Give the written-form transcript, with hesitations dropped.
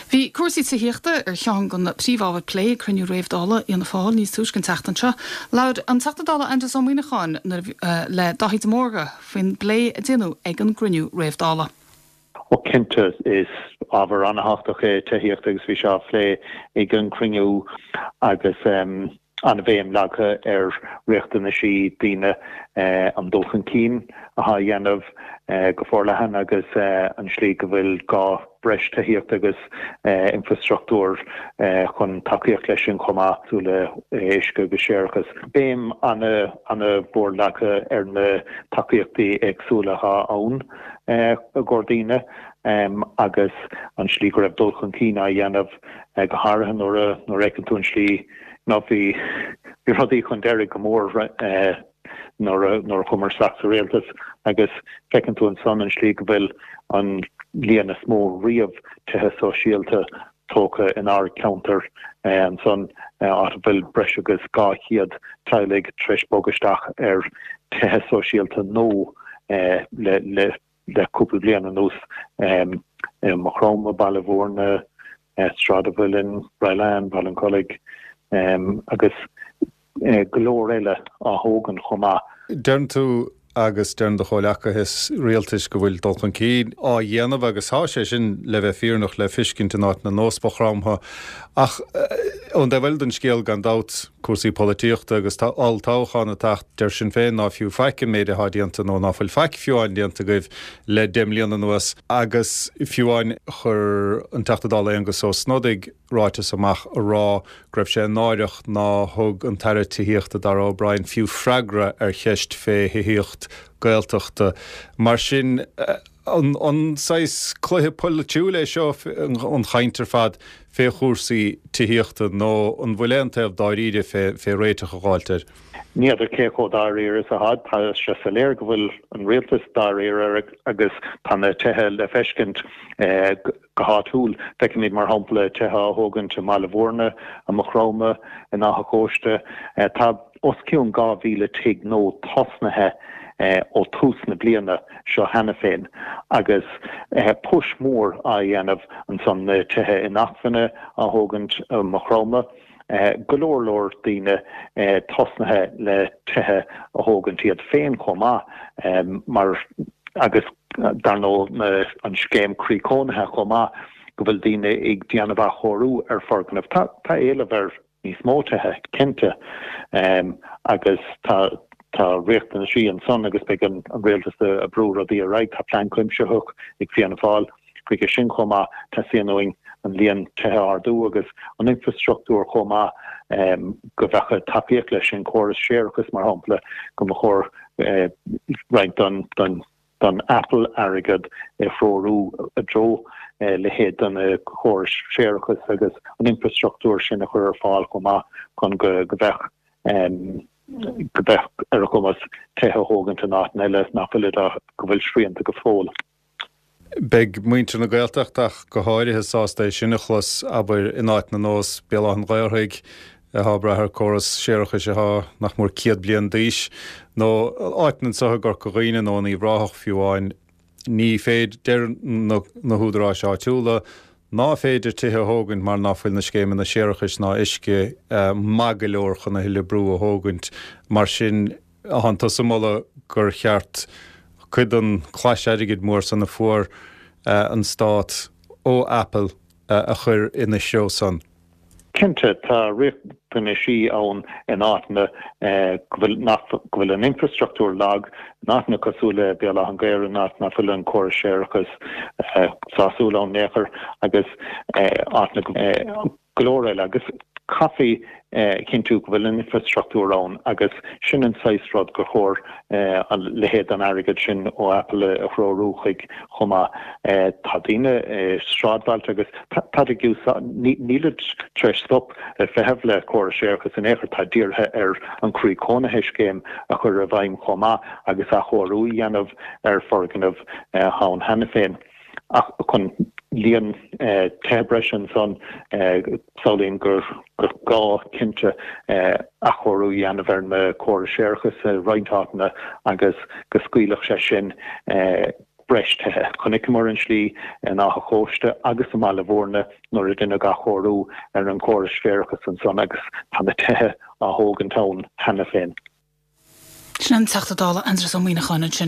Bhí cúrsaí tithíochta ar cheann de na príomhábhair plé ag cruinniú réamh-Dála Fhianna Fáil níos túisce an tseachtain seo. Labhair an Teachta Dála Aengus Ó Muíneacháin le Dáithí de Mórdha faoin bplé a déanadh ag an gcruinniú réamh-Dála. Ó cinnte, is ábhar an-thábhachtach é tithíocht agus bhí sé á phlé ag an gcruinniú agus an-bhéim leagtha ar riachtanaisí daoine, an dul chun cinn atá á dhéanamh go forleathan agus an slí go bhfuil gá breis tithíochta agus infrastruchtúr chun tacaíocht leis sin chomh maith, cosúil le uisce agus séarachas. Béim an-mhór leagtha ar na tacaíochtaí éagsúla atá ann i gcomhair daoine agus an slí go raibh dul chun cinn á dhéanamh, go háirithe nuair a fheiceann tú an slí Nó bhí rudaí chun deiridh go mór nuair a nuair a chuamar isteach sa rialtas agus feiceann tú ansan an slí go bhfuil an líon is mó riamh tithe sóisialta tógtha inár gceantar ansan, áit a bhfuil breis agus 200 teaghlaigh tar éis bogadh isteach ar tithe sóisialta nó le le cúpla bliain anuas, i Maigh Chromtha, Baile Mhúirne, Sráid an Mhuilinn, Rylane, Baile an Chollaigh agus go leor eile á thógaint chomh maith. Deireann tú agus deireann do chomhleacaithe rialtais go bhfuil dul chun cinn á dhéanamh agus tá sé sin, le bheith fírinneach, le fiscint in áiteanna nós Maigh Chromtha. Ach ón dtaobh eile den scéal, gan dabht, cúrsaí polaitíochta agus tá olltoghchán ag teacht, deir Sinn Féin ná fiú faic an méid athá déanta nó ná fuil faic fiú amháin déanta agaibh le 10 mbliana anuas agus fiú amháin chuir an Teachta Dála Aengus Ó Snodaigh ráiteas amach a rá go raibh sé náireach ná thug an tAire Tithíochta Darragh O'Brien fiú freagra ar cheist fé thithíocht Gaeltachta. Mar sin. An saghas cluiche polaitiúil é seo, an chaint ar fad fé chúrsaí tithíochta, nó an bhfuil aon taobh dáiríre fé réiteach a dh'fháilt air? Ní fheadar cé chomh dáiríre is atá. Tá sé soiléir go bhfuil an rialtas dáiríre agus tá na tithe le feiscint go háitiúil. Feicimid, mar shampla, tithe á thógaint i mBaile Mhúirne, i Maigh Chromtha, in Áth an Chóiste. Tá os cionn 2,000 tigh nua tosnaithe ó tús na bliana seo cheana féin agus push mór á dhéanamh ansan, na tithe inacmhainne á thógaint i Maigh Chromtha, go leor leor daoine tosnaithe le tithe a thógaint iad féin chomh maith mar agus dar ndóigh an scéim Croí Cónaithe chomh maith go bhfuil daoine ag déanamh athchóiriú ar foirgnimh. Tá éileamh ar níos mó tithe, cinnte, agus tá tá riachtanaisí ansan agus beidh an rialtas ag brú rudaí ar aghaidh. Tá plean cuimsitheach ag Fianna Fáil chuige sin chomh maith. Teastaíonn uainn an líon tithe a ardú agus an infrastruchtúr chomh maith go bheadh tacaíocht leis sin, córas séarachais mar shampla, go mba chóir roinnt don don don Apple airgead a threorú i dtreo leithéid de na córais séarachais agus an infrastruchtúr sin a chur ar fáil chomh maith chun go mbeadh go mbeadh ar a gcumas tithe a thógaint in áiteanna eile nach bhfuil go bhfuil srianta go fóill. Beidh muintir na Gaeltachta ach go háirithe sásta é sin a chlos, abair, in áiteanna nós Béal Átha an Ghaorthaidh, atá ag brath ar córas séarachais atá nach mór 100 bliain d'aois, nó áiteanna anseo i gCorca Dhuibhne nó in Uíbh Ráthach fiú amháin. Ní féidir, deir na húdaráis áitiúla, ná féidir tithe a thógaint mar ná fuil na scéimeanna séarachais ná uisce maith go leor chun a thuilleadh brú a thógaint. Mar sin, Thánn tusa ag moladh gur cheart cuid den chlais airgid mór san a fuair an Stát ó Apple a chur ina threo san. Cinnte, tá riachtanaisí ann in áiteanna go bhfuil nach go bhfuil an infrastruchtúr lag, in áiteanna cosúil le Béal Átha an Ghaorthaidh, in áit nach bhfuil an córas séarachais sásúil ann in aon chor agus áiteanna go go leor eile agus caithfí a chinntiú go bhfuil an infrastruchtúr ann agus sin an saghas rud gur chóir a leithéid den airgead sin ó Apple a threorú chuig chomh maith. Tá daoine i sráidbhailte agus táid ag úsáid, nílid tar éis stop ag feitheamh le córas séarachais in aon chor, táid dírithe ar an Croí Cónaithe scéim a chur i bhfeidhm chomh maith agus athchóiriú a dhéanamh ar foirgnimh atá ann cheana féin. Ach chun líon tithe breise ansan, samhlaím gur gá cinnte athchóiriú a dhéanamh ar na córais séarachais i roinnt áiteanna agus go scaoilfeadh sé sin. breis tithe. Chonaiceamar an tslí in Áth an Chóiste agus i mBaile Bhúirne nuair a deineadh athchóiriú ar an chóras séarachais ansan agus tá na tithe á thógaint ann cheana féin. Sin an Teachta Dála Aindrias Ó Muíneacháin ansin.